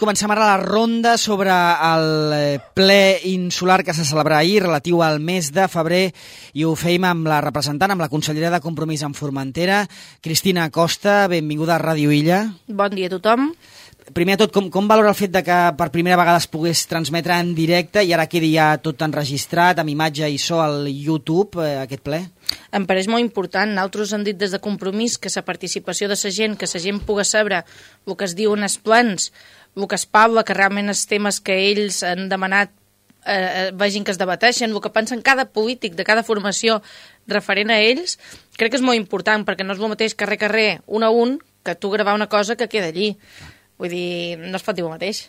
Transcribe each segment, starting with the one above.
comencem ara la ronda sobre el ple insular que se celebrarà ahir relatiu al mes de febrer i ho feim amb la representant, amb la consellera de Compromís en Formentera, Cristina Costa. Benvinguda a Ràdio Illa. Bon dia a tothom. Primer de tot, com valora el fet de que per primera vegada es pogués transmetre en directe i ara quedi ja tot enregistrat, amb imatge i so al YouTube, aquest ple? Em pareix molt important. Nosaltres hem dit des de Compromís que la participació de la gent, que la gent pugui saber el que es diu en els plens, el que es parla, que realment els temes que ells han demanat vegin que es debateixen, el que pensen cada polític de cada formació referent a ells, crec que és molt important, perquè no és el mateix carrer, un a un, que tu gravar una cosa que queda allí. Vull dir, no es pot dir el mateix.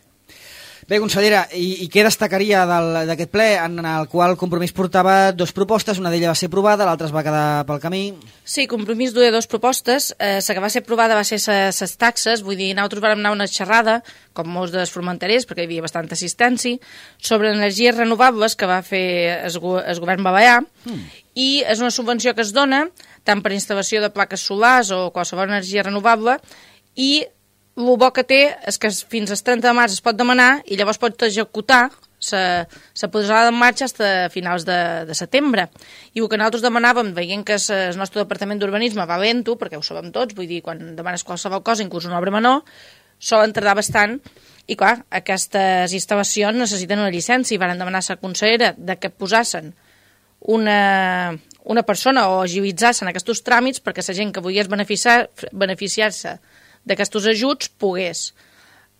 Bé, consellera, i què destacaria d'aquest ple en el qual Compromís portava dues propostes, una d'elles va ser aprovada, l'altra es va quedar pel camí? Sí, Compromís duia dues propostes, la que va ser aprovada va ser les taxes, vull dir, nosaltres vam anar a una xerrada, com molts dels formenterers, perquè hi havia bastanta assistència, sobre energies renovables que va fer el govern balear, i és una subvenció que es dona tant per instal·lació de plaques solars o qualsevol energia renovable, i el bo que té és que fins al 30 de març es pot demanar i llavors pot executar la posada en marxa fins a finals de setembre. I el que nosaltres demanàvem, veient que el nostre departament d'urbanisme va lento, perquè ho sabem tots, vull dir, quan demanes qualsevol cosa, inclús una obra menor, solen tardar bastant, i clar, aquestes instal·lacions necessiten una llicència i van demanar a la consellera de que posassin una persona o agilitzassin aquests tràmits perquè la gent que volgués beneficiar-se d'aquests ajuts pogués.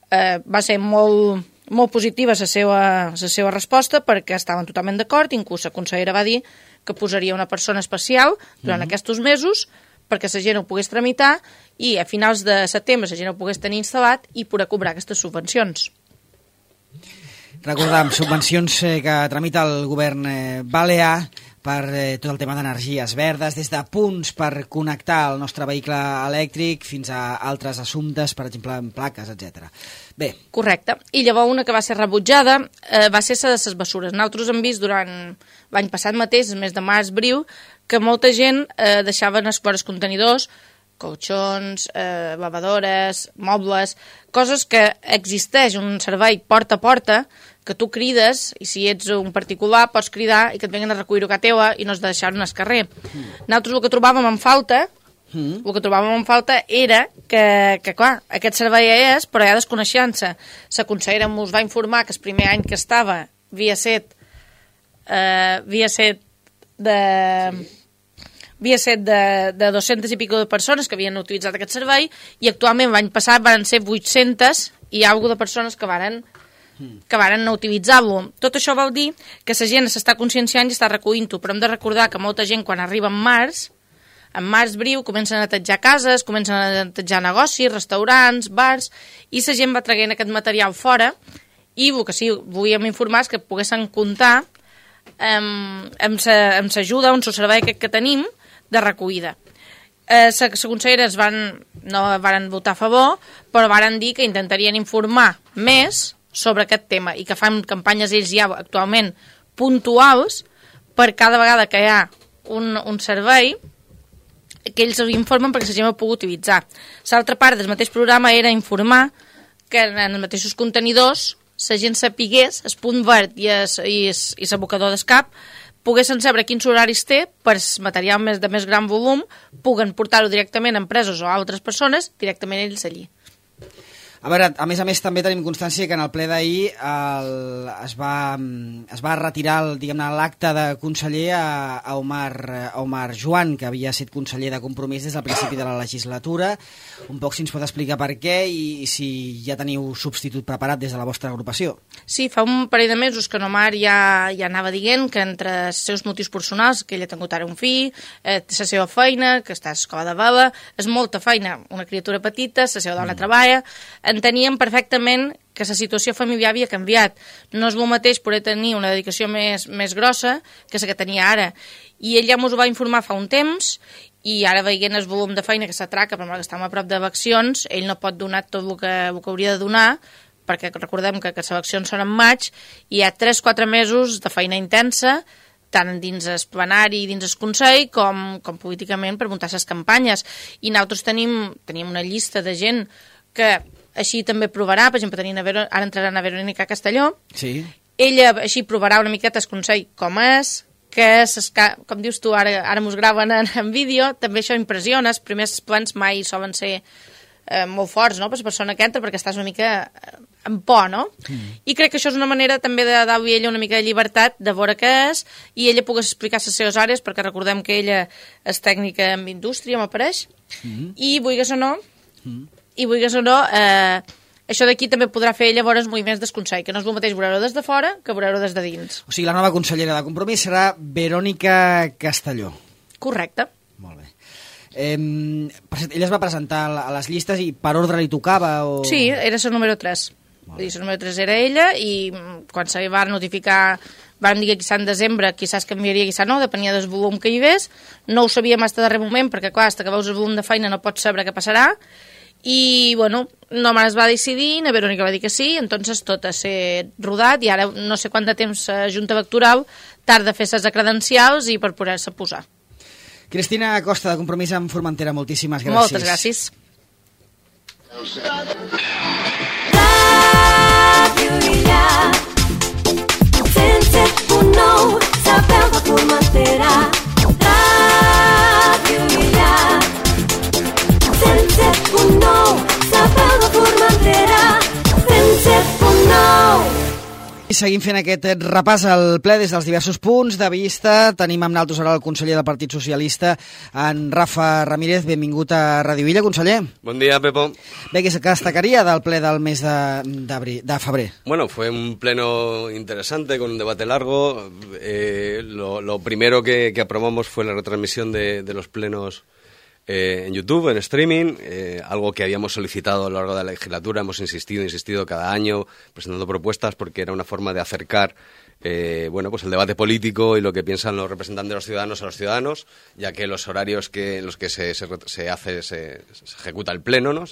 Va ser molt positiva la seva resposta perquè estaven totalment d'acord, inclús la consellera va dir que posaria una persona especial durant aquests mesos perquè la gent ho pogués tramitar i a finals de setembre la gent ho pogués tenir instal·lat i poder cobrar aquestes subvencions. Recordem, subvencions que tramita el govern balear per tot el tema d'energies verdes, des de punts per connectar el nostre vehicle elèctric fins a altres assumptes, per exemple, en plaques, etc. Bé. Correcte. I llavors una que va ser rebutjada va ser la de les bessures. Nosaltres hem vist durant l'any passat mateix, el mes de març, abril, que molta gent deixaven els contenidors, colxons, lavadores, mobles, coses que existeix un servei porta a porta, que tu crides, i si ets un particular pots cridar i que et venguen a recollir-ho a casa teva i no has de deixar-ho al carrer. Nosaltres el que trobàvem en falta era que clar, aquest servei és, però ja desconeixent-se. La consellera ens va informar que el primer any que estava havia set de 200 i pico de persones que havien utilitzat aquest servei i actualment l'any passat van ser 800 i alguna de persones que varen utilitzar-lo. Tot això vol dir que la gent s'està conscienciant i està recollint-ho, però hem de recordar que molta gent quan arriba en març breu, comencen a netejar cases, comencen a netejar negocis, restaurants, bars, i la gent va traient aquest material fora i el que sí volíem informar és que poguessin comptar amb l'ajuda, amb el servei que tenim de recollida. Les conselleres no van votar a favor, però van dir que intentarien informar més sobre aquest tema i que fan campanyes ells ja actualment puntuals per cada vegada que hi ha un servei que ells informen perquè la gent ho pugui utilitzar. L'altra part del mateix programa era informar que en els mateixos contenidors la gent sapigués el punt verd i l'abocador d'escap poguessin saber quins horaris té per material de més gran volum, puguen portar-ho directament a empreses o a altres persones, directament ells allí. A veure, a més també tenim constància que en el ple d'ahir es va retirar l'acte de conseller a Omar Joan, que havia estat conseller de Compromís des del principi de la legislatura. Un poc si ens pot explicar per què i si ja teniu substitut preparat des de la vostra agrupació. Sí, fa un parell de mesos que en Omar ja anava dient que entre els seus motius personals, que ell ha tingut ara un fill, la seva feina, que està a l'escola de vela, és molta feina, una criatura petita, la seva dona treballa, enteníem perfectament que la situació familiar havia canviat. No és el mateix poder tenir una dedicació més grossa que la que tenia ara. I ell ja ens ho va informar fa un temps i ara veient el volum de feina que s'atraca, per que estem a prop d'eleccions, ell no pot donar tot el que hauria de donar, perquè recordem que les eleccions són en maig i hi ha 3-4 mesos de feina intensa, tant dins el plenari i dins el Consell com políticament per muntar les campanyes. I nosaltres tenim una llista de gent que així també provarà, per exemple, ara entraran a Verònica Castelló, Sí. ella així provarà una miqueta el consell com és, que com dius tu, ara mos graven en vídeo, també això impressiona, els primers plans mai solen ser molt forts, no?, per la persona que entra, perquè estàs una mica en por, no? I crec que això és una manera també de dar-li a ella una mica de llibertat, de veure què és, i ella pogués explicar les seves àrees, perquè recordem que ella és tècnica en indústria, m'apareix, i vulguis o no, això d'aquí també podrà fer ella veure els moviments del Consell, que no és el mateix veure-ho des de fora que veure-ho des de dins. O sigui, la nova consellera de Compromís serà Verònica Castelló. Correcte. Molt bé. Ella es va presentar a les llistes i per ordre li tocava? O... Sí, era el número 3. Vull dir, el número 3 era ella i quan se va notificar, van dir que quizà en desembre quizás canviaria, quizà no, depenia del volum que hi hagués. No ho sabíem fins darrer moment, perquè clar, fins que veus el volum de feina no pots saber què passarà. I, bueno, només es va decidir, la Verònica va dir que sí, entonces tot ha ser rodat i ara no sé quant de temps la Junta Electoral tarda a fer les credencials i per poder-se posar. Cristina Costa, de Compromís amb Formentera, moltíssimes gràcies. Moltes gràcies. Sapeu de Formentera. Ràdio Illa 107.9. Sapeu de Formentera 107.9. I seguim fent aquest repàs al ple des dels diversos punts de vista. Tenim amb nosaltres ara el conseller del Partit Socialista, en Rafa Ramírez. Benvingut a Radio Illa, conseller. Buen día, Pepo. Bé, què destacaria del ple del mes de febrer? Bueno, fue un pleno interesante con un debate largo. Lo primero que aprobamos fue la retransmisión de los plenos en YouTube, en streaming, algo que habíamos solicitado a lo largo de la legislatura. Hemos insistido cada año presentando propuestas porque era una forma de acercar pues el debate político y lo que piensan los representantes de los ciudadanos a los ciudadanos, ya que los horarios en los que se ejecuta el pleno, ¿no?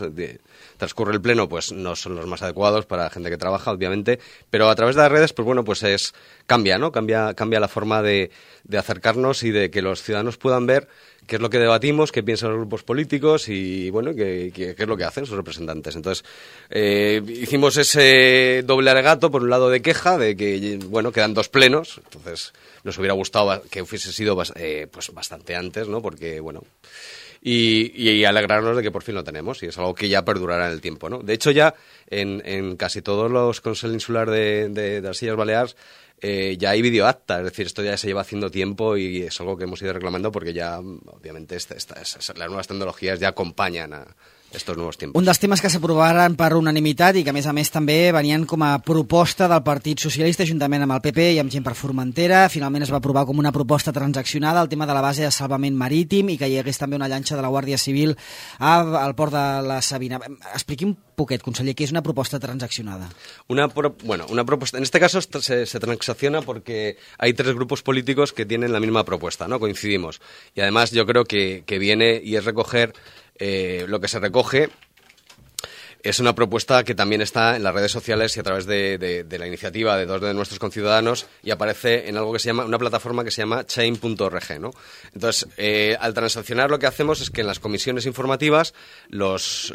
Transcurre el pleno, pues no son los más adecuados para la gente que trabaja, obviamente, pero a través de las redes, pues bueno, pues cambia la forma de acercarnos y de que los ciudadanos puedan ver qué es lo que debatimos, qué piensan los grupos políticos y, bueno, qué es lo que hacen sus representantes. Entonces, hicimos ese doble alegato, por un lado de queja, de que, bueno, quedan 2 plenos, entonces nos hubiera gustado que hubiese sido pues bastante antes, ¿no? Porque, bueno, y alegrarnos de que por fin lo tenemos, y es algo que ya perdurará en el tiempo, ¿no? De hecho, ya en casi todos los consejos insulares de las Illes Balears ya hay videoacta, es decir, esto ya se lleva haciendo tiempo y es algo que hemos ido reclamando porque ya, obviamente, las nuevas tecnologías ya acompañan a estos nuevos tiempos. Un dels temes que s'aprovaren per unanimitat i que, a més també venien com a proposta del Partit Socialista juntament amb el PP i amb gent per Formentera. Finalment es va aprovar com una proposta transaccionada el tema de la base de salvament marítim i que hi hagués també una llanxa de la Guàrdia Civil al port de la Sabina. Expliqui un poquet, conseller, què és una proposta transaccionada? Una propuesta, en este caso se transacciona porque hay 3 grupos políticos que tienen la misma propuesta, ¿no? Coincidimos. Y además yo creo que viene y es recoger lo que se recoge. Es una propuesta que también está en las redes sociales y a través de la iniciativa de 2 de nuestros conciudadanos y aparece en algo que se llama, una plataforma que se llama chain.org, ¿no? Entonces, al transaccionar lo que hacemos es que en las comisiones informativas los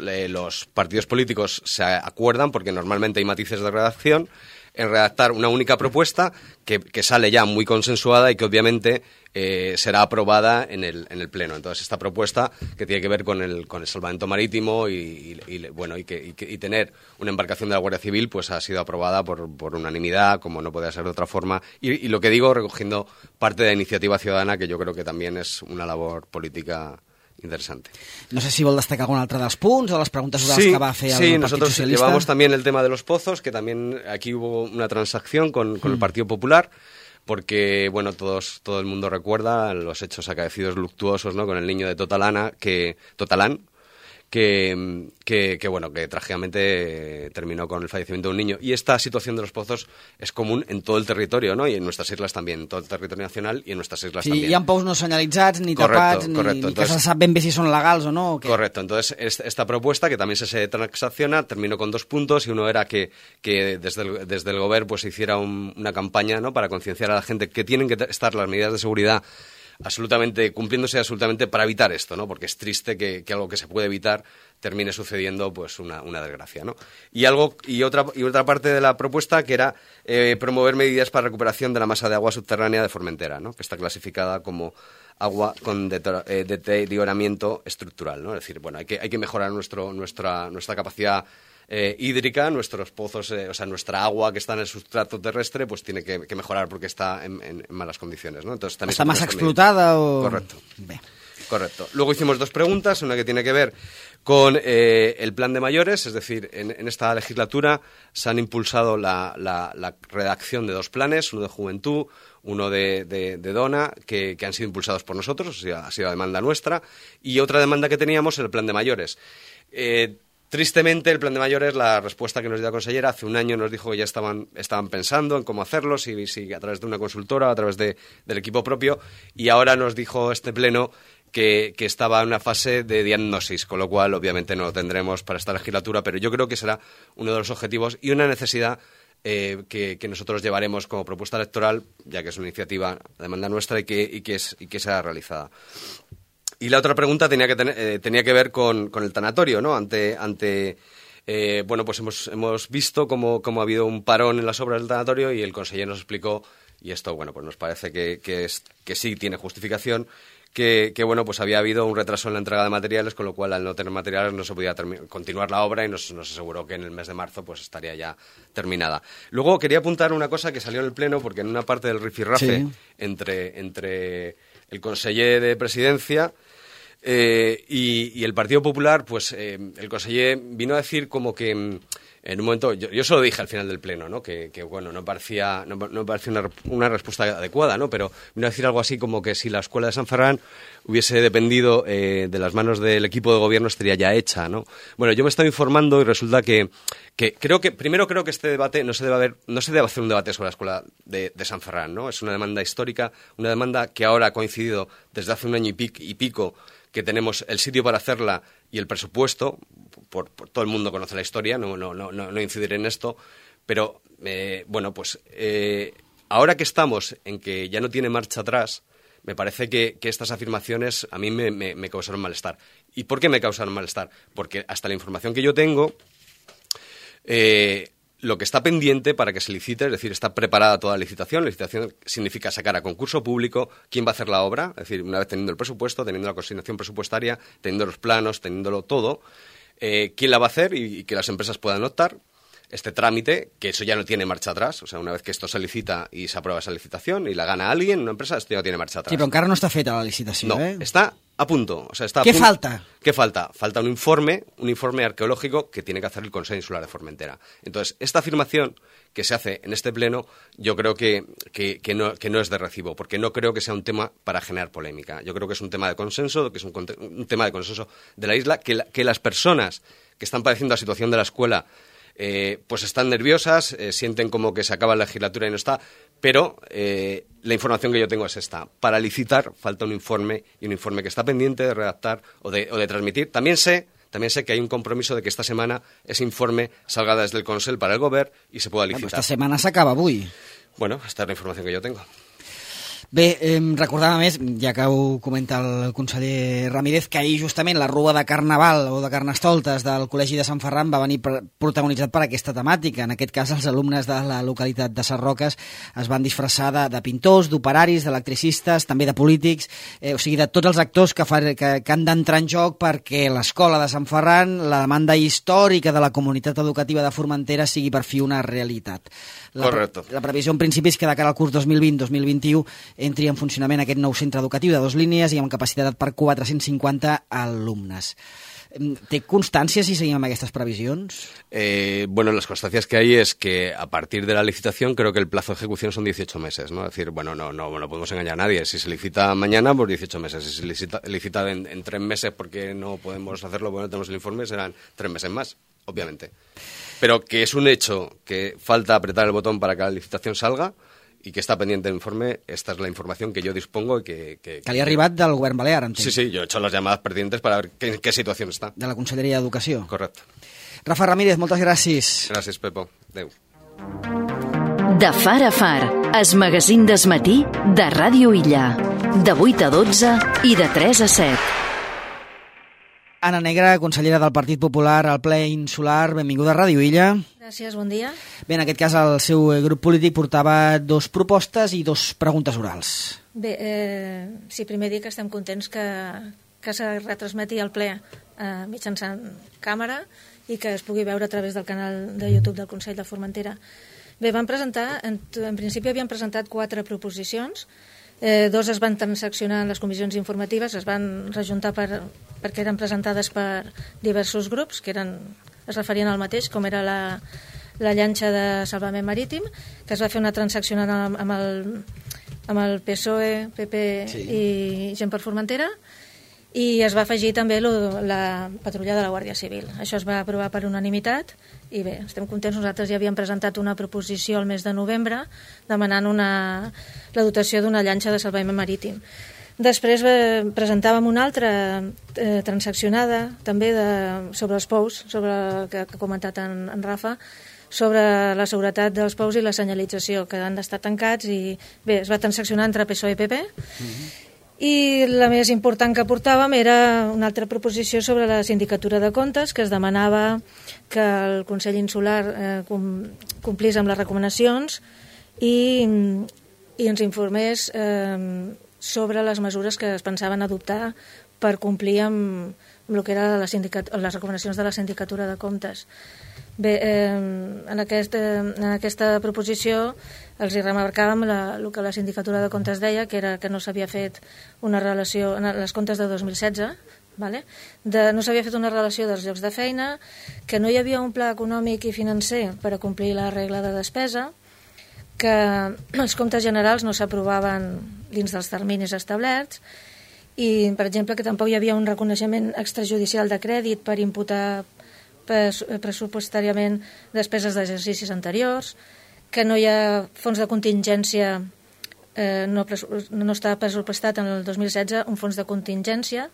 partidos políticos se acuerdan, porque normalmente hay matices de redacción, en redactar una única propuesta que sale ya muy consensuada y que obviamente será aprobada en el pleno. Entonces, esta propuesta que tiene que ver con el salvamento marítimo y tener una embarcación de la Guardia Civil, pues ha sido aprobada por unanimidad, como no podía ser de otra forma. Y lo que digo, recogiendo parte de la iniciativa ciudadana, que yo creo que también es una labor política interesante. No sé si vol destacar algun altre dels punts o de les preguntes orals que va fer el Partit nosotros Socialista. Llevamos también el tema de los pozos, que también aquí hubo una transacción con el Partido Popular, porque, bueno, todo el mundo recuerda los hechos acaecidos luctuosos, ¿no? Con el niño de Totalán, que trágicamente terminó con el fallecimiento de un niño. Y esta situación de los pozos es común en todo el territorio, ¿no? Y en nuestras islas también, en todo el territorio nacional y en nuestras islas también. Sí, hi ha pous no senyalitzats, ni tapats, ni entonces, que se sap ben bé si són legals o no. Correcto, entonces esta propuesta, que también se transacciona, terminó con 2 puntos, y uno era que desde el gobierno pues se hiciera una campaña, ¿no? Para concienciar a la gente que tienen que estar las medidas de seguridad cumpliéndose absolutamente para evitar esto, ¿no? Porque es triste que algo que se puede evitar termine sucediendo pues una desgracia, ¿no? Y otra parte de la propuesta que era promover medidas para recuperación de la masa de agua subterránea de Formentera, ¿no? Que está clasificada como agua con deterioramiento estructural, ¿no? Es decir, bueno, hay que mejorar nuestra capacidad hídrica, nuestros pozos, o sea, nuestra agua que está en el sustrato terrestre, pues tiene que mejorar porque está en malas condiciones, ¿no? Entonces, también ¿está más explotada o...? Correcto. Bé. Correcto. Luego hicimos 2 preguntas, una que tiene que ver con el plan de mayores, es decir, en esta legislatura se han impulsado la redacción de 2 planes, uno de juventud, uno de Dona, que han sido impulsados por nosotros, o sea, ha sido demanda nuestra, y otra demanda que teníamos, el plan de mayores. Tristemente, el plan de mayores, la respuesta que nos dio la consellera, hace un año nos dijo que ya estaban pensando en cómo hacerlo, si a través de una consultora, a través del equipo propio, y ahora nos dijo este pleno que estaba en una fase de diagnosis, con lo cual obviamente no lo tendremos para esta legislatura, pero yo creo que será uno de los objetivos y una necesidad que nosotros llevaremos como propuesta electoral, ya que es una iniciativa de demanda nuestra y que será realizada. Y la otra pregunta tenía que ver con el tanatorio, ¿no? Bueno, pues hemos visto cómo ha habido un parón en las obras del tanatorio y el consejero nos explicó, y esto, bueno, pues nos parece que sí tiene justificación, que bueno, pues había habido un retraso en la entrega de materiales, con lo cual al no tener materiales no se podía continuar la obra y nos aseguró que en el mes de marzo pues estaría ya terminada. Luego quería apuntar una cosa que salió en el pleno, porque en una parte del rifirrafe entre el conseller de Presidencia y el Partido Popular, pues el conseller vino a decir como que en un momento, yo se lo dije al final del pleno, ¿no? Que bueno, no parecía una respuesta adecuada, ¿no? Pero vino a decir algo así como que si la escuela de San Ferran hubiese dependido de las manos del equipo de gobierno estaría ya hecha, ¿no? Bueno, yo me estaba informando y resulta que creo que este debate no se debe hacer un debate sobre la escuela de San Ferran, ¿no? Es una demanda histórica, una demanda que ahora ha coincidido desde hace un año y pico que tenemos el sitio para hacerla y el presupuesto, por todo el mundo conoce la historia, no incidiré en esto, pero bueno, pues ahora que estamos en que ya no tiene marcha atrás, me parece que estas afirmaciones a mí me causaron malestar. ¿Y por qué me causaron malestar? Porque hasta la información que yo tengo, lo que está pendiente para que se licite, es decir, está preparada toda la licitación. La licitación significa sacar a concurso público quién va a hacer la obra, es decir, una vez teniendo el presupuesto, teniendo la consignación presupuestaria, teniendo los planos, teniéndolo todo, quién la va a hacer y que las empresas puedan optar. Este trámite, que eso ya no tiene marcha atrás, o sea, una vez que esto se licita y se aprueba esa licitación y la gana alguien, una empresa, esto ya no tiene marcha atrás. Sí, però encara no està feta la licitació, no, está a punto. O sea, está ¿Qué falta? ¿Qué falta? Falta un informe arqueológico que tiene que hacer el Consejo Insular de Formentera. Entonces, esta afirmación que se hace en este pleno, yo creo que no es de recibo, porque no creo que sea un tema para generar polémica. Yo creo que es un tema de consenso, que es un tema de consenso de la isla, que las personas que están padeciendo la situación de la escuela pues están nerviosas, sienten como que se acaba la legislatura y no está, pero la información que yo tengo es esta. Para licitar falta un informe, y un informe que está pendiente de redactar o de transmitir. También sé que hay un compromiso de que esta semana ese informe salga desde el Consell para el Govern y se pueda licitar. Esta setmana s'acaba avui. Bueno, esta es la información que yo tengo. Bé, recordava més, ja que ho comenta el conseller Ramírez, que ahir justament la rua de Carnaval o de Carnestoltes del Col·legi de Sant Ferran va venir protagonitzat per aquesta temàtica. En aquest cas, els alumnes de la localitat de Sarroques es van disfressar de pintors, d'operaris, d'electricistes, també de polítics, o sigui, de tots els actors que han d'entrar en joc perquè l'escola de Sant Ferran, la demanda històrica de la comunitat educativa de Formentera sigui per fi una realitat. Correcte. La previsió en principi és que de cara al curs 2020-2021 entri en funcionament aquest nou centre educatiu de 2 línies i amb capacitat per 450 alumnes. ¿Té constancia si seguimos estas previsiones? Bueno, las constancias que hay es que a partir de la licitación creo que el plazo de ejecución son 18 meses, ¿no? Es decir, bueno, no podemos engañar a nadie. Si se licita mañana, pues 18 meses. Si se licita en 3 meses porque no podemos hacerlo, porque no tenemos el informe, serán 3 meses más, obviamente. Pero que es un hecho que falta apretar el botón para que la licitación salga i que està pendiente del informe, esta es la información que yo dispongo y que li ha arribat del govern balear, entenc. Sí, yo he hecho las llamadas pertinentes para ver en qué situación está. De la Conselleria d'Educació. Correcte. Rafa Ramírez, moltes gràcies. Gràcies, Pepo. Adéu. De Far a Far, el magazín del matí de Ràdio Illa. de 8 a 12 i de 3 a 7. Anna Negra, consellera del Partit Popular al ple insular, benvinguda a Ràdio Illa. Gràcies, bon dia. Bé, en aquest cas el seu grup polític portava 2 propostes i 2 preguntes orals. Bé, sí, primer dir que estem contents que se retransmeti al ple mitjançant càmera i que es pugui veure a través del canal de YouTube del Consell de Formentera. Bé, van presentar, en principi havien presentat 4 proposicions, 2 es van transaccionar en les comissions informatives, es van rejuntar perquè eren presentades per diversos grups que es referien al mateix, com era la llanxa de salvament marítim, que es va fer una transaccional amb el PSOE, PP i Gent per Formentera, i es va afegir també la patrulla de la Guàrdia Civil. Això es va aprovar per unanimitat i bé, estem contents. Nosaltres ja havíem presentat una proposició al mes de novembre demanant la dotació d'una llanxa de salvament marítim. Després presentàvem una altra transaccionada també sobre els pous, sobre el que ha comentat en Rafa, sobre la seguretat dels pous i la senyalització, que han d'estar tancats, i bé, es va transaccionar entre PSOE i PP. I la més important que portàvem era una altra proposició sobre la sindicatura de comptes, que es demanava que el Consell Insular complís amb les recomanacions i ens informés sobre les mesures que es pensaven adoptar per complir amb el que eren les recomanacions de la sindicatura de comptes. Bé, en aquesta proposició els hi remarcàvem el que la sindicatura de comptes deia, que era que no s'havia fet una relació, en les comptes de 2016, no s'havia fet una relació dels llocs de feina, que no hi havia un pla econòmic i financer per a complir la regla de despesa, que els comptes generals no s'aprovaven dins dels terminis establerts, i, per exemple, que tampoc hi havia un reconeixement extrajudicial de crèdit per imputar pressupostàriament despeses d'exercicis anteriors, que no hi ha fons de contingència, no està pressupostat en el 2016 un fons de contingència,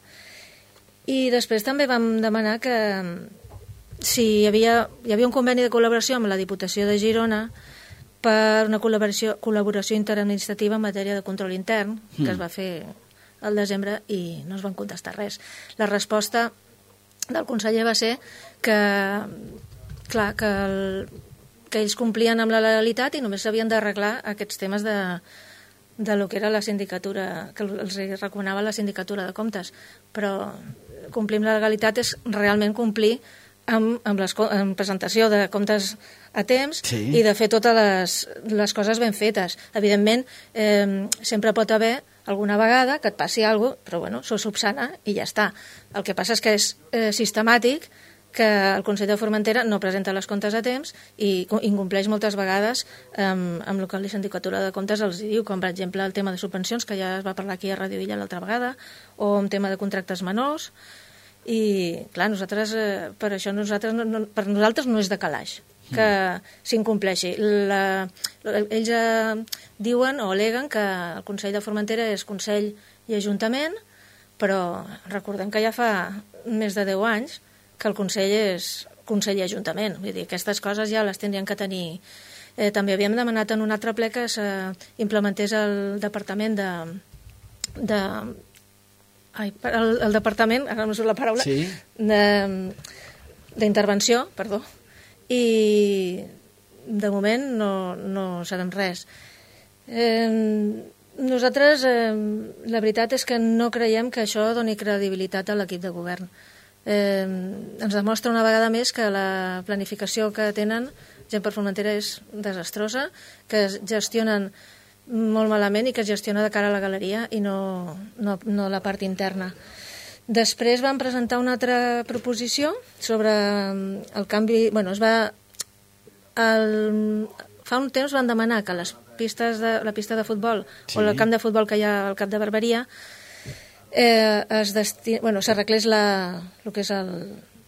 i després també vam demanar que si hi havia un conveni de col·laboració amb la Diputació de Girona per una col·laboració interadministrativa en matèria de control intern, que es va fer al desembre i no es van contestar res. La resposta del conseller va ser que ells complien amb la legalitat i només s'havien d'arreglar aquests temes de lo que era la sindicatura, que els recomanava la sindicatura de comptes. Però complir amb la legalitat és realment complir amb presentació de comptes a temps i de fer totes les coses ben fetes. Evidentment, sempre pot haver alguna vegada que et passi alguna cosa, però bueno, s'ho subsana i ja està. El que passa és que és sistemàtic que el Consell de Formentera no presenta les comptes a temps i incompleix moltes vegades amb el que la sindicatura de comptes els diu, com per exemple el tema de subvencions, que ja es va parlar aquí a Ràdio Illa l'altra vegada, o un tema de contractes menors, i clar, per això per nosaltres no és de calaix que s'incompleixi. Ells diuen o al·leguen que el Consell de Formentera és Consell i Ajuntament, però recordem que ja fa més de 10 anys que el Consell és Consell i Ajuntament. Vull dir, aquestes coses ja les tindrien que tenir. També havíem demanat en un altre ple que s'implementés el departament el departament, ara no surt la paraula, d'intervenció, perdó, i de moment no sabem res. Nosaltres, la veritat és que no creiem que això doni credibilitat a l'equip de govern. Ens demostra una vegada més que la planificació que tenen Gent per Formentera és desastrosa, que es gestionen molt malament i que es gestiona de cara a la galeria i no la part interna. Després van presentar una altra proposició sobre el canvi... Fa un temps van demanar que la pista de futbol o el camp de futbol que hi ha al Cap de Barberia s'arreglés el que és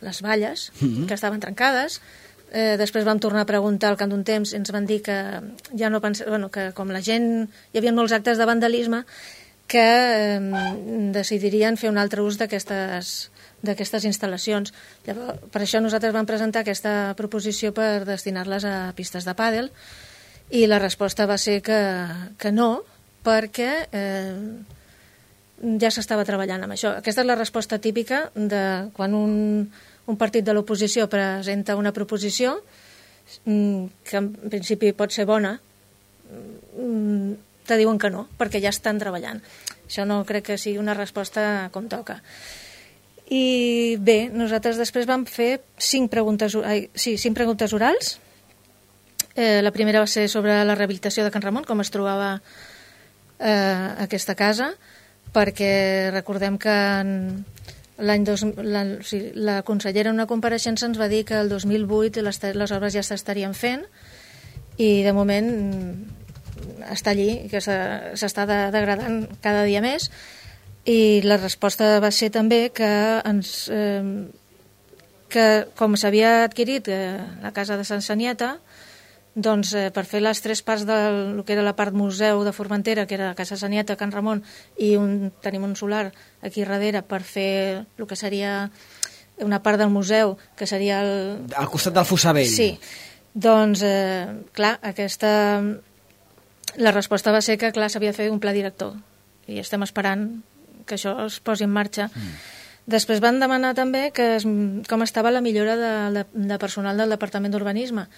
les valles que estaven trencades. Després vam tornar a preguntar al cap d'un temps i ens van dir que ja no que com la gent... Hi havia molts actes de vandalisme que decidirien fer un altre ús d'aquestes instal·lacions. Llavors, per això nosaltres vam presentar aquesta proposició per destinar-les a pistes de pàdel i la resposta va ser que no, perquè ja s'estava treballant amb això. Aquesta és la resposta típica de quan un partit de l'oposició presenta una proposició que en principi pot ser bona, te diuen que no, perquè ja estan treballant. Això no crec que sigui una resposta com toca. I bé, nosaltres després vam fer 5 preguntes orals. La primera va ser sobre la rehabilitació de Can Ramon, com es trobava aquesta casa, perquè recordem que la consellera en una compareixença ens va dir que el 2008 les obres ja s'estarien fent i de moment està allí, que s'està degradant cada dia més, i la resposta va ser també que com s'havia adquirit la casa de Sant Sanieta, doncs per fer les 3 parts del que era la part museu de Formentera, que era la Casa Sanieta, Can Ramon, i tenim un solar aquí darrere per fer el que seria una part del museu, que seria al costat del Fossar Vell. Sí, doncs clar, la resposta va ser que clar, s'havia de fer un pla director i estem esperant que això es posi en marxa. Després van demanar també com estava la millora de personal del Departament d'Urbanisme.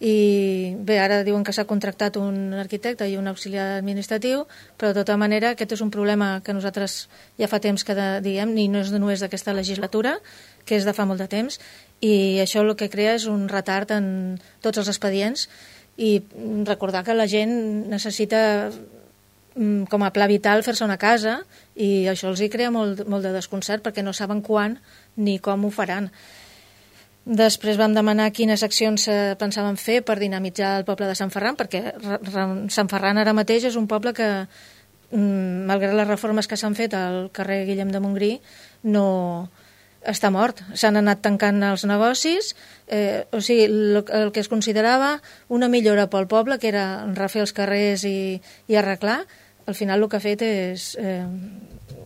I bé, ara diuen que s'ha contractat un arquitecte i un auxiliar administratiu, però de tota manera aquest és un problema que nosaltres ja fa temps que diem, i no és només d'aquesta legislatura, que és de fa molt de temps, i això el que crea és un retard en tots els expedients, i recordar que la gent necessita com a pla vital fer-se una casa, i això els hi crea molt de desconcert perquè no saben quan ni com ho faran. Després vam demanar quines accions pensaven fer per dinamitzar el poble de Sant Ferran, perquè Sant Ferran ara mateix és un poble que, malgrat les reformes que s'han fet al carrer Guillem de Montgrí, no està mort. S'han anat tancant els negocis, o sigui, el que es considerava una millora pel poble, que era refer els carrers i arreglar, al final el que ha fet és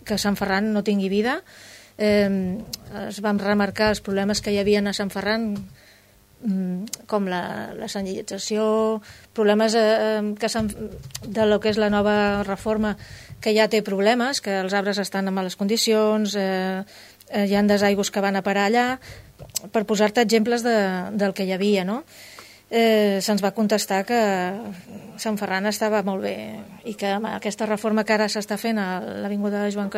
que Sant Ferran no tingui vida. Es van remarcar els problemes que hi havia a Sant Ferran, com la senyalització, problemes de lo que és la nova reforma, que ja té problemes, que els arbres estan en males condicions, hi ha desaigües que van a parar allà, per posar-te exemples del que hi havia, no? Se'ns va contestar que Sant Ferran estava molt bé i que amb aquesta reforma que ara s'està fent a l'Avinguda Joan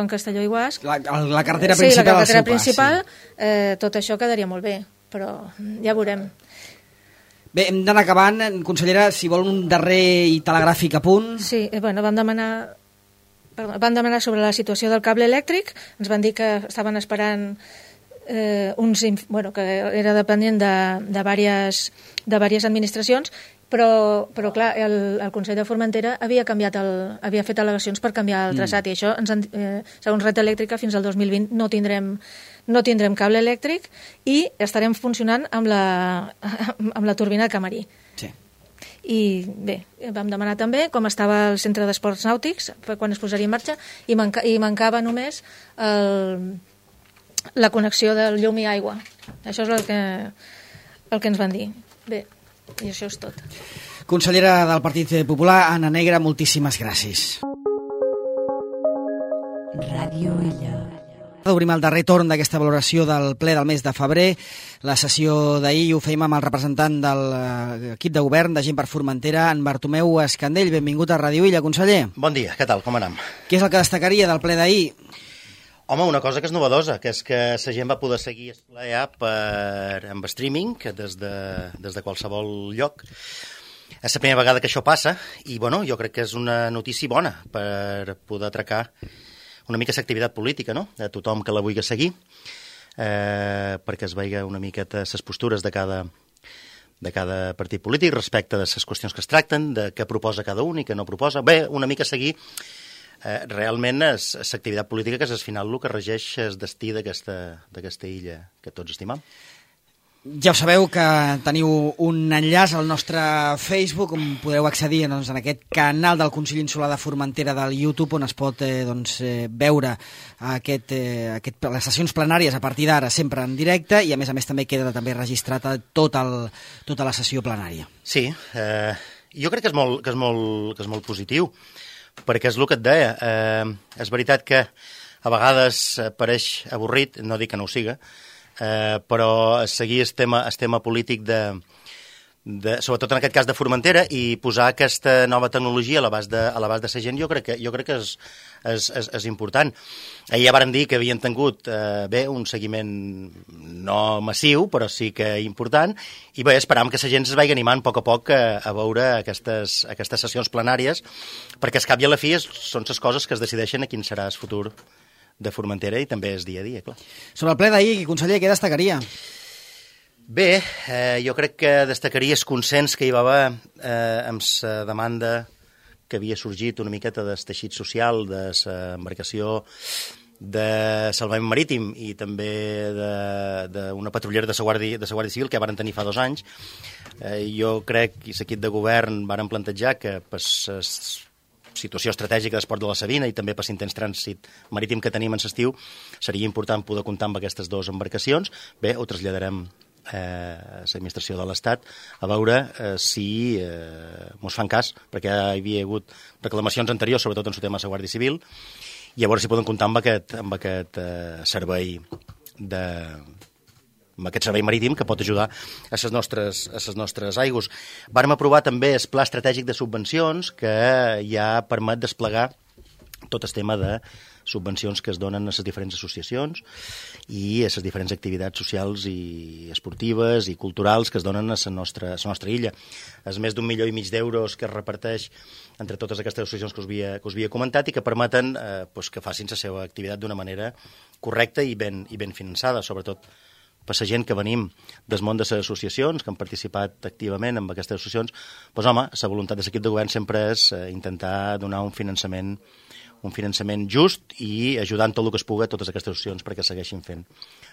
Castelló i Guasc, la carretera principal, sí, la carretera principal, tot això quedaria molt bé, però ja veurem. Bé, hem d'anar acabant. Consellera, si vol un darrer i telegràfic apunt. Sí, bueno, vam demanar sobre la situació del cable elèctric, ens van dir que estaven esperant que era dependent de diverses administracions, però clar, el Consell de Formentera havia fet al·legacions per canviar el traçat, i això, segons Red Elèctrica, fins al 2020 no tindrem cable elèctric i estarem funcionant amb la turbina de Camarí. Sí. I bé, vam demanar també com estava el centre d'esports nàutics quan es posaria en marxa, i mancava només la connexió del llum i aigua. Això és el que ens van dir. Bé, i això és tot. Consellera del Partit Popular, Anna Negre, moltíssimes gràcies. Ràdio Illa. Obrim el darrer torn d'aquesta valoració del ple del mes de febrer. La sessió d'ahir ho fèiem amb el representant de l'equip de govern de Gent per Formentera, en Bartomeu Escandell. Benvingut a Ràdio Illa, conseller. Bon dia, què tal, com anem? Què és el que destacaria del ple d'ahir? Home, una cosa que és novedosa, que és que la gent va poder seguir el ple ja amb streaming des de qualsevol lloc. És la primera vegada que això passa i bueno, jo crec que és una notícia bona per poder atracar una mica l'activitat política, no?, de tothom que la vulgui seguir, perquè es veiga una miqueta les postures de cada partit polític respecte de les qüestions que es tracten, de què proposa cada un i què no proposa. Bé, una mica seguir realment l'activitat política, que és al final el que regeix el destí d'aquesta illa que tots estimam. Ja ho sabeu que teniu un enllaç al nostre Facebook on podeu accedir en aquest canal del Consell Insular de Formentera del YouTube, on es pot veure les sessions plenàries a partir d'ara sempre en directe, i a més també queda també registrat tota la sessió plenària. Sí, jo crec que és molt positiu, perquè és el que et deia. És veritat que a vegades pareix avorrit, no dic que no ho siga, però seguir el tema polític sobretot en aquest cas de Formentera, i posar aquesta nova tecnologia a l'abast de la gent, jo crec que és important. Ahir ja vàrem dir que havien tingut un seguiment no massiu, però sí que important, i bé, esperam que la gent es vagi animant a poc a veure aquestes sessions plenàries, perquè al cap i a la fi són les coses que es decideixen a quin serà el futur de Formentera, i també és dia a dia, clar. Sobre el ple d'ahir, conseller, què destacaria? Bé, jo crec que destacaria el consens que hi va haver amb la demanda que havia sorgit una miqueta del teixit social, de l'embarcació de salvament marítim i també d'una patrullera de la Guàrdia Civil que varen tenir fa 2 anys. Jo crec, i l'equip de govern varen plantejar que per la situació estratègica d'esport de la Sabina i també per l'intens trànsit marítim que tenim en l'estiu, seria important poder comptar amb aquestes 2 embarcacions. Bé, ho traslladarem a l'administració de l'Estat a veure si mos fan cas, perquè hi havia hagut reclamacions anteriors, sobretot en el tema de la Guàrdia Civil, i a veure si poden comptar amb aquest servei amb aquest servei marítim que pot ajudar a les nostres aigües. Vàrem aprovar també el pla estratègic de subvencions que ja permet desplegar tot el tema de subvencions que es donen a les diferents associacions i a les diferents activitats socials i esportives i culturals que es donen a la nostra illa. És més d'1,5 milió d'euros que es reparteix entre totes aquestes associacions que us havia comentat i que permeten que facin la seva activitat d'una manera correcta i ben finançada, sobretot per la gent que venim del món de les associacions, que han participat activament en aquestes associacions. Doncs home, la voluntat de l'equip de govern sempre és intentar donar un finançament just i ajudant tot el que es pugui a totes aquestes associacions perquè segueixin fent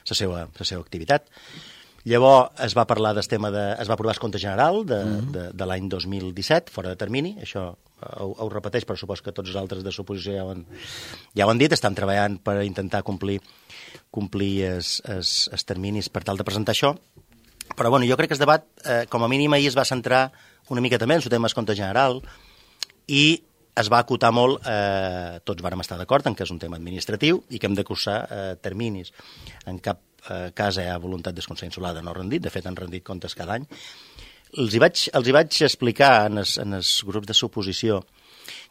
la seva activitat. Llavors es va parlar del tema es va aprovar el compte general de l'any 2017, fora de termini, això ho repeteix, però supos que tots els altres de l'oposició ja ho han dit, estan treballant per intentar complir els terminis per tal de presentar això. Però bueno, jo crec que el debat, com a mínim ahir es va centrar una mica també en el tema del compte general i es va acotar molt, tots vàrem estar d'acord en que és un tema administratiu i que hem de cursar terminis. En cap cas hi ha voluntat del Consell Insular de no rendir, de fet han rendit comptes cada any. Els hi vaig explicar en els grups de l'oposició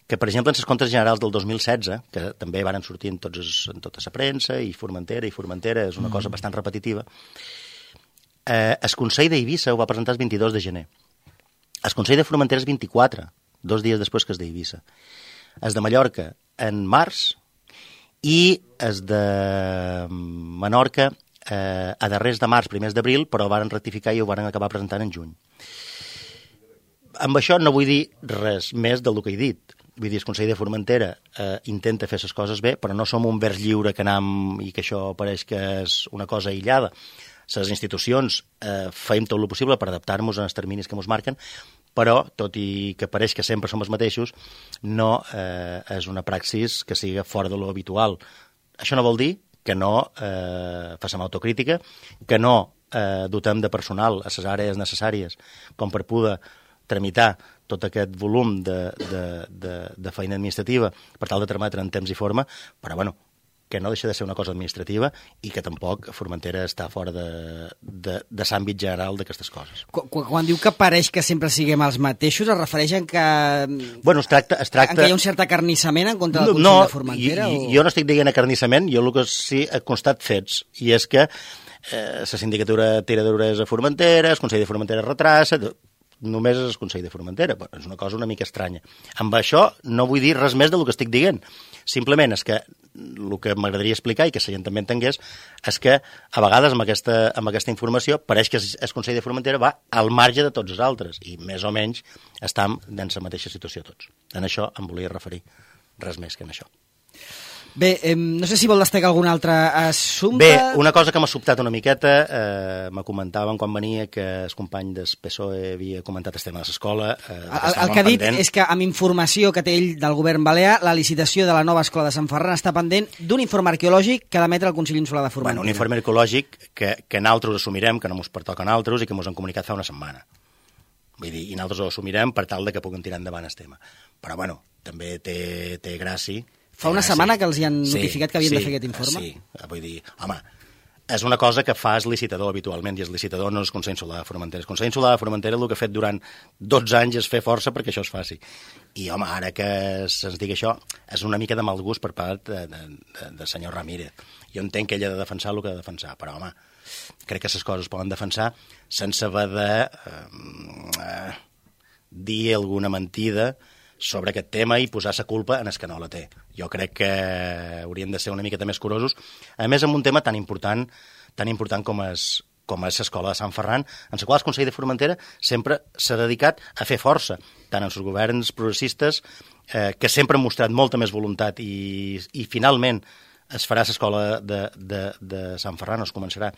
que, per exemple, en els comptes generals del 2016, que també varen sortir en tota la premsa, i Formentera és una cosa bastant repetitiva, el Consell d'Eivissa ho va presentar el 22 de gener. El Consell de Formentera és 24, 2 dies després que es d'Eivissa. Es de Mallorca en març i es de Menorca a darrers de març, primers d'abril, però ho varen rectificar i ho varen acabar presentant en juny. Amb això no vull dir res més del que he dit. Vull dir, el Consell de Formentera intenta fer les coses bé, però no som un vers lliure que anam i que això pareix que és una cosa aïllada. Les institucions feim tot el possible per adaptar-nos als terminis que ens marquen, però, tot i que pareix que sempre som els mateixos, no és una praxis que sigui fora de lo habitual. Això no vol dir que no facem autocrítica, que no dotem de personal a les àrees necessàries com per poder tramitar tot aquest volum de feina administrativa per tal de trametre en temps i forma, però bueno, que no deixa de ser una cosa administrativa i que tampoc Formentera està fora de l'àmbit general d'aquestes coses. Quan diu que pareix que sempre siguem els mateixos, es refereix a que, bueno, es tracta... En que hi ha un cert acarnissament en contra del Consell de Formentera? Jo no estic dient acarnissament, jo el que sí he constat fets, i és que la sindicatura tira d'orelles a Formentera, el Consell de Formentera retrassa... Només és el Consell de Formentera. És una cosa una mica estranya. Amb això no vull dir res més del que estic dient. Simplement és que el que m'agradaria explicar i que la gent també entengués és que a vegades amb aquesta informació pareix que el Consell de Formentera va al marge de tots els altres i més o menys estem en la mateixa situació tots. En això em volia referir, res més que en això. Bé, no sé si vol destacar algun altre assumpte. Bé, una cosa que m'ha sobtat una miqueta, me comentaven quan venia que el company del PSOE havia comentat el tema de l'escola. El que ha dit és que amb informació que té ell del govern balear, la licitació de la nova escola de Sant Ferran està pendent d'un informe arqueològic que ha d'emetre el Consell Insular de Formentera. Un informe arqueològic que nosaltres assumirem, que no ens pertoca a nosaltres i que ens han comunicat fa una setmana. Vull dir, i nosaltres ho assumirem per tal de que puguin tirar endavant el tema. Però, bueno, també té gràcia. Fa una setmana que els hi han notificat que havien de fer aquest informe? Sí, vull dir, home, és una cosa que fa el licitador habitualment, i el licitador no és el Consell Insular de Formentera. El Consell Insular de Formentera el que ha fet durant 12 anys és fer força perquè això es faci. I, home, ara que se'ns digui això, és una mica de mal gust per part de senyor Ramírez. Jo entenc que ell ha de defensar el que ha de defensar, però, home, crec que les coses es poden defensar sense haver de dir alguna mentida sobre aquest tema i posar la culpa en el que no la té. Jo crec que haurien de ser una miqueta més curosos, a més amb un tema tan important com és l'escola de Sant Ferran, en la qual el Consell de Formentera sempre s'ha dedicat a fer força, tant en els governs progressistes, que sempre han mostrat molta més voluntat i finalment es farà l'escola de Sant Ferran, es començarà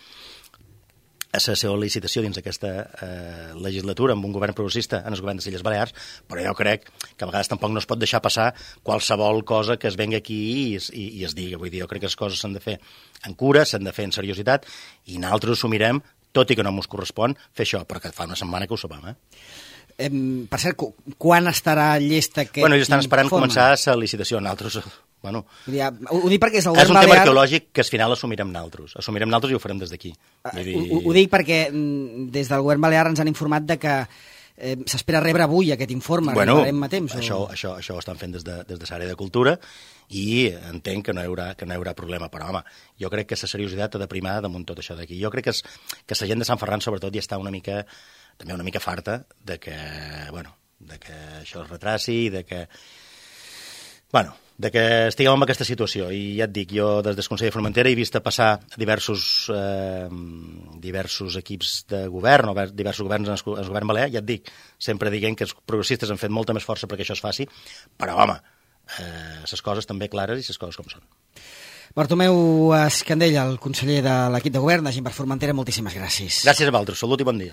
a la seva licitació dins d'aquesta legislatura amb un govern progressista en el govern de les Illes Balears, però jo crec que a vegades tampoc no es pot deixar passar qualsevol cosa que es vengui aquí i es digui. Vull dir, jo crec que les coses s'han de fer en cura, s'han de fer en seriositat, i nosaltres assumirem, tot i que no ens correspon, fer això, però que fa una setmana que ho sabem, Per cert, quan estarà llest aquest informe? Bueno, ells estan esperant començar la licitació. Nosaltres, bueno... Ho dic perquè és el govern govern balear... tema arqueològic que al final assumirem nosaltres. Assumirem nosaltres i ho farem des d'aquí. Ho dic perquè des del govern balear ens han informat de que s'espera rebre avui aquest informe. Bueno, a temps, això ho estan fent des de l'àrea de cultura i entenc que no hi haurà problema. Però, home, jo crec que la seriositat ha de primar damunt tot això d'aquí. Jo crec que la gent de Sant Ferran, sobretot, ja està una mica farta de que això es retraci i de que estiguem en aquesta situació. I ja et dic, jo des del Consell de Formentera he vist passar diversos equips de govern o diversos governs en el govern balear, ja et dic, sempre dient que els progressistes han fet molta més força perquè això es faci, però, home, les coses també clares i les coses com són. Bartomeu Escandell, el conseller de l'equip de govern de Gent per Formentera, moltíssimes gràcies. Gràcies a vosaltres, salut i bon dia.